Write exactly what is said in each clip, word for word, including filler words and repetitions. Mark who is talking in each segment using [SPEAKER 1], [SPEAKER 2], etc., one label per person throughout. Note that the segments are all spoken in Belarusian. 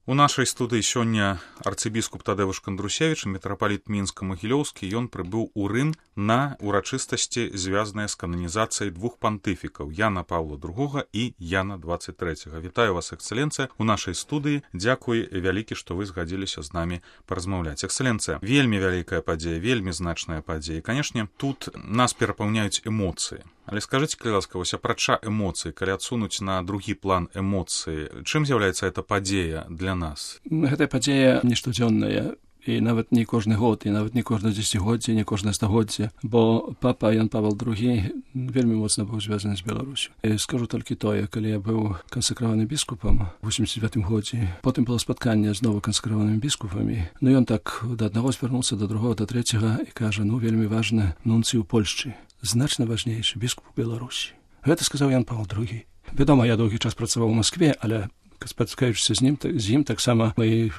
[SPEAKER 1] У нашай студыі сёння арцыбіскуп Тадэвуш Кандрусевіч, мітрапаліт Мінска-Магілёўскі. Ён прыбыў у Рым на урачыстасці, звязаныя з кананізацыяй двух пантыфікаў Яна Паўла другога і Яна дваццаць трэцяга. Вітаю вас, эксцэленцыя, у нашай студыі. Дзякуй вялікі, што вы згадзіліся з намі паразмаўляць. Эксцэленцыя, вельмі вялікая падзея, вельмі значная падзея. І, канешне, тут нас перапаўняюць эмоцыі. Але скажыце, калі ласка, вось апрача эмоцый, калі адсунуць на другі план эмоцыі, чым з'яўляецца эта падзея для нас?
[SPEAKER 2] Гэта падзея не штодзённая, і нават не кожны год, і нават не кожнае дзесяцігоддзе, не кожнае стагоддзе, бо папа Ян Павел другі вельмі моцна быў звязаны з Беларусю. І скажу толькі тое, калі я быў кансакраваны біскупам у восемьдесят девятым годзе, потым было спатканне з новакансакраванымі біскупамі, ну ён так да аднаго звярнуўся, да другога, да трэцяга і кажа, ну вельмі важна нунцый у Польшчы, значна важнейшы біскуп у Беларусі. Гэта сказаў Ян Павел другі. Вядома, я доўгі час працаваў у Маскве, але спаткаючыся з ім, з ім таксама мы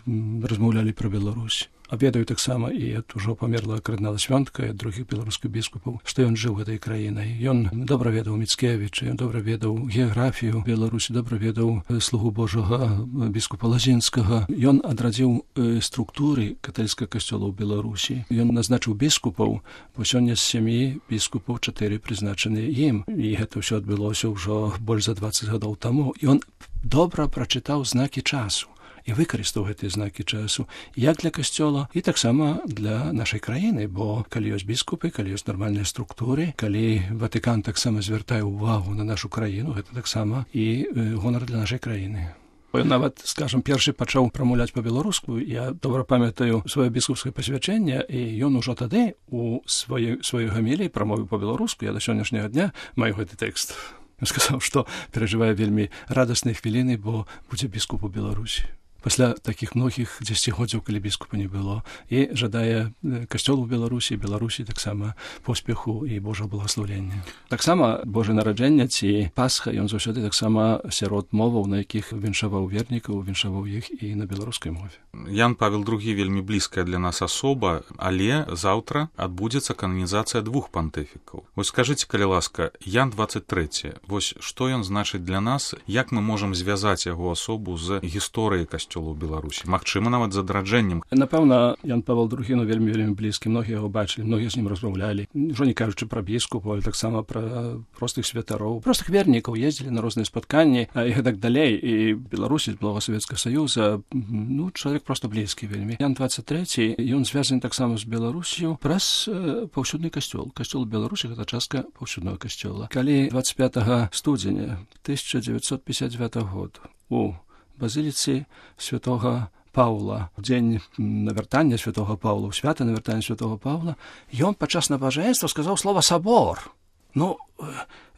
[SPEAKER 2] размаўлялі пра Беларусь. А ведаю таксама і ад ужо памерла кардынала Свёнтка і ад другіх беларускіх біскупаў, што ён жыў гэтай краінай. Ён добра ведаў Міцкевіча, ён добра ведаў геаграфію Беларусі, добра ведаў слугу Божага біскупа Лазінскага. Ён адрадзіў структуры каталіцкага касцёла ў Беларусі. Ён назначыў біскупаў, бо сёння з сямі біскупаў чатыры прызначаныя ім. І гэта ўсё адбылося ўжо больш за дваццаць гадоў таму. Ён добра прачытаў знакі часу і выкарыстаў гэтыя знакі часу як для касцёла і таксама для нашай краіны, бо калі ёсць біскупы, калі ёсць нармальныя структуры, калі Ватыкан таксама звяртае ўвагу на нашу краіну, гэта таксама і гонар для нашай краіны. Ён нават, скажам, першы пачаў прамаўляць па-беларуску. Я добра памятаю сваё біскупскае пасвячэнне, і ён ужо тады у сваёй сваёй гаміліі прамовіў па-беларуску. Я да сённяшняга дня маю гэты тэкст. Ён сказаў, што перажывае вельмі радасныя хвіліны, бо будзе біскуп у Беларусі. Пасля такіх многіх дзесяцігоддзяў, калі біскупа не было, і жадае касцёлу ў Беларусі, Беларусі таксама поспеху і Божага благаслаўлення. Таксама Божае нараджэнне ці Пасха, ён заўсёды таксама сярод моваў, на якіх віншаваў вернікаў, віншаваў іх і на беларускай мове.
[SPEAKER 1] Ян Павел другі вельмі блізкая для нас асоба, але заўтра адбудзецца кананізацыя двух пантыфікаў. Вось скажыце, калі ласка, Ян дваццаць трэці, вось што ён значыць для нас, як мы можам звязаць яго асобу з гісторыяй касцёла у Беларусі, магчыма, нават з адраджэннем.
[SPEAKER 2] Напэўна, Ян Павел другі, ну, вельмі вельмі блізкі, многія яго бачылі, многія з ім размаўлялі, ўжо не кажучы пра біскупаў, але таксама пра простых святароў, простых вернікаў, ездзілі на розныя спатканні і гэтак далей, і Беларусі, з былога Савецкага Саюза, ну, чалавек проста блізкі вельмі. Ян дваццаць трэці, ён звязаны таксама з Беларусю праз э, паўсюдны касцёл. Касцёл у Беларусі гэта частка паўсюднага касцёла. Калі дваццаць пятага студзеня тысяча дзевяцьсот пятьдесят девятого года у базіліцы святога Паўла, у дзень навяртання святога Паўла, у свята навяртання святога Паўла, ён падчас набажэнства сказаў слова «сабор». Ну,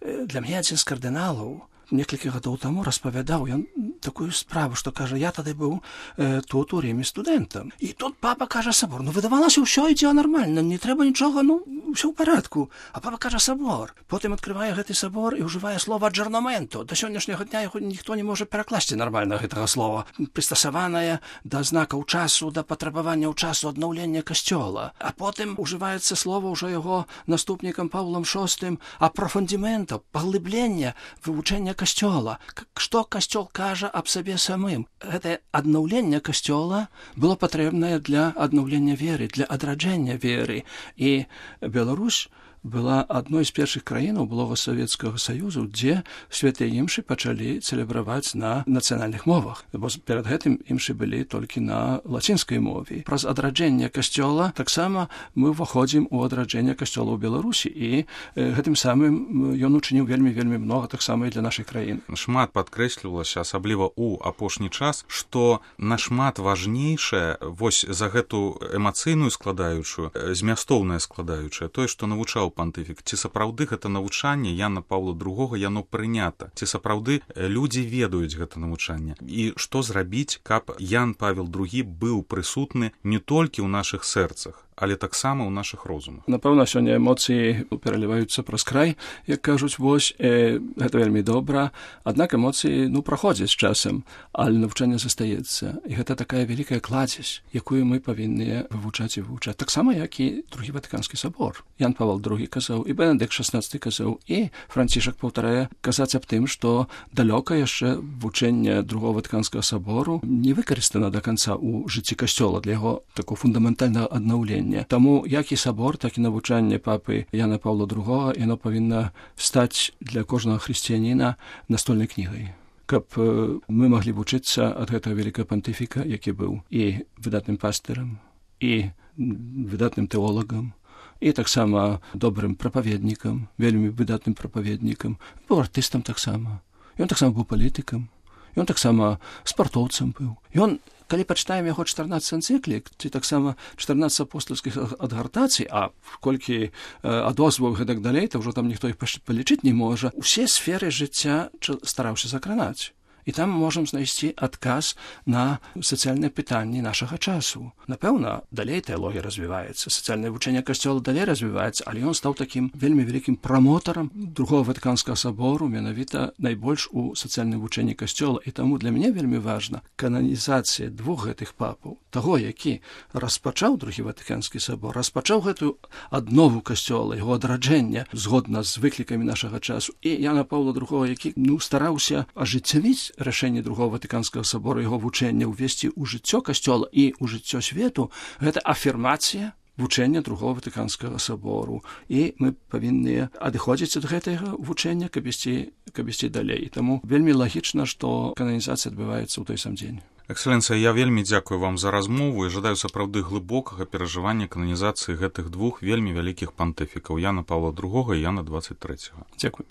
[SPEAKER 2] для мяне адзін з кардыналаў некалькі гадоў таму распавядаў ён такую справу, што кажа, я тады быў э, тут у Ріме студэнтам. І тут папа кажа «сабор». Ну, выдавалася, ўсё ідзе нармальна, не трэба нічога, ну, ўсё ў парадку. А папа кажа «сабор». Потым адкрывае гэты сабор і ўжывае слова «аджэрнаменто». Да сённяшняга дня яго ніхто не можа перакласці нармальна гэтага слова. Прыстасаванае да знакаў часу, да патрабаванняў часу аднаўлення касцёла. А потым ўжываецца слова ўжо яго наступнікам Паўлам шостым «апрафондіменто», паглыблення, вывучэння касцёла. Што касцёл кажа аб сабе самым? Гэтае аднаўленне касцёла было патрэбнае для аднаўлення веры, для адраджэння веры. І Беларусь была адной з першых краінаў былога Савецкага Саюзу, дзе святыя імшы пачалі цэлебраваць на нацыянальных мовах. Бо перад гэтым імшы былі толькі на лацінскай мове. Праз адраджэнне касцёла таксама мы ўваходзім у адраджэнне касцёла ў Беларусі, і э, гэтым самым ён учыніў вельмі-вельмі многа таксама і для нашай краіны.
[SPEAKER 1] Шмат падкрэслівалася, асабліва ў апошні час, што нашмат важнейшае вось за гэту эмацыйную складаючую, змястоўная складаючая, тое, што навучаў пантыфік. Ці сапраўды гэта навучанне Яна Паўла другога, яно прынята? Ці сапраўды людзі ведаюць гэта навучанне? І што зрабіць, каб Ян Павел другі быў прысутны не толькі ў нашых сэрцах, але таксама ў нашых розумах.
[SPEAKER 2] Напэўна, сёння эмоцыі пераліваюцца праз край, як кажуць, вось, э, гэта вельмі добра, аднак эмоцыі, ну, праходзяць часам, але навучанне застаецца. І гэта такая вялікая кладзесь, якую мы павінны вывучаць і вывучаць. Таксама, як і другі Ватыканскі сабор. Ян Павел другі казаў, і Бенедыкт шаснаццаты казаў, і Францішак паўтарае казаць аб тым, што далёка яшчэ вучэнне другого Ватыканскага сабору не выкарыстана да канца ў жыцці касцёла для яго такого фундаментальнага аднаўлення. Таму як і сабор, так і навучанне папы Яна Паўла другога, яно павінна стаць для кожнага хрысціяніна настольнай кнігай, каб мы маглі вучыцца ад гэтага вялікага пантыфіка, які быў і выдатным пастырам, і выдатным тэолагам, і таксама добрым прапаведнікам, вельмі выдатным прапаведнікам, быў артыстам таксама. Ён таксама быў палітыкам, ён таксама спартоўцам быў. Ён, калі пачытаем яго чатырнаццаць энцыклік, ці таксама чатырнаццаць апостальскіх адгартацый, а колькі адозваў гэтак далей, то ўжо там ніхто іх палічыць не можа, усе сферы жыцця стараўся закранаць. І там можам знайсці адказ на сацыяльныя пытанні нашага часу. Напэўна, далей тэалогія развіваецца, сацыяльнае вучэнне касцёла далей развіваецца, але ён стаў такім вельмі вялікім прамотарам другого Ватыканскага сабору, менавіта найбольш у сацыяльным вучэнні касцёла. І таму для мяне вельмі важна кананізацыя двух гэтых папаў, таго, які распачаў другі Ватыканскі сабор, распачаў гэтую аднову касцёла, яго адраджэння згодна з выклікамі нашага часу, і Яна Паўла другога, які, ну, стараўся ажыццявіць рашэнне другого Ватыканскага сабора, яго вучэння ўвесці ў жыццё касцёла і ў жыццё свету, гэта афірмацыя вучэння другого Ватыканскага сабору. І мы павінны адыходзіць ад гэтага вучэння, каб ісці, каб ісці далей. Таму вельмі лагічна, што кананізацыя адбываецца ў той сам дзень.
[SPEAKER 1] Экселенцыя, я вельмі дзякую вам за размову і жадаю сапраўды глыбокага перажывання кананізацыі гэтых двух вельмі вялікіх пантыфікаў, Яна Паўла другога і Яна дваццаць трэцяга.
[SPEAKER 2] Дзякуй.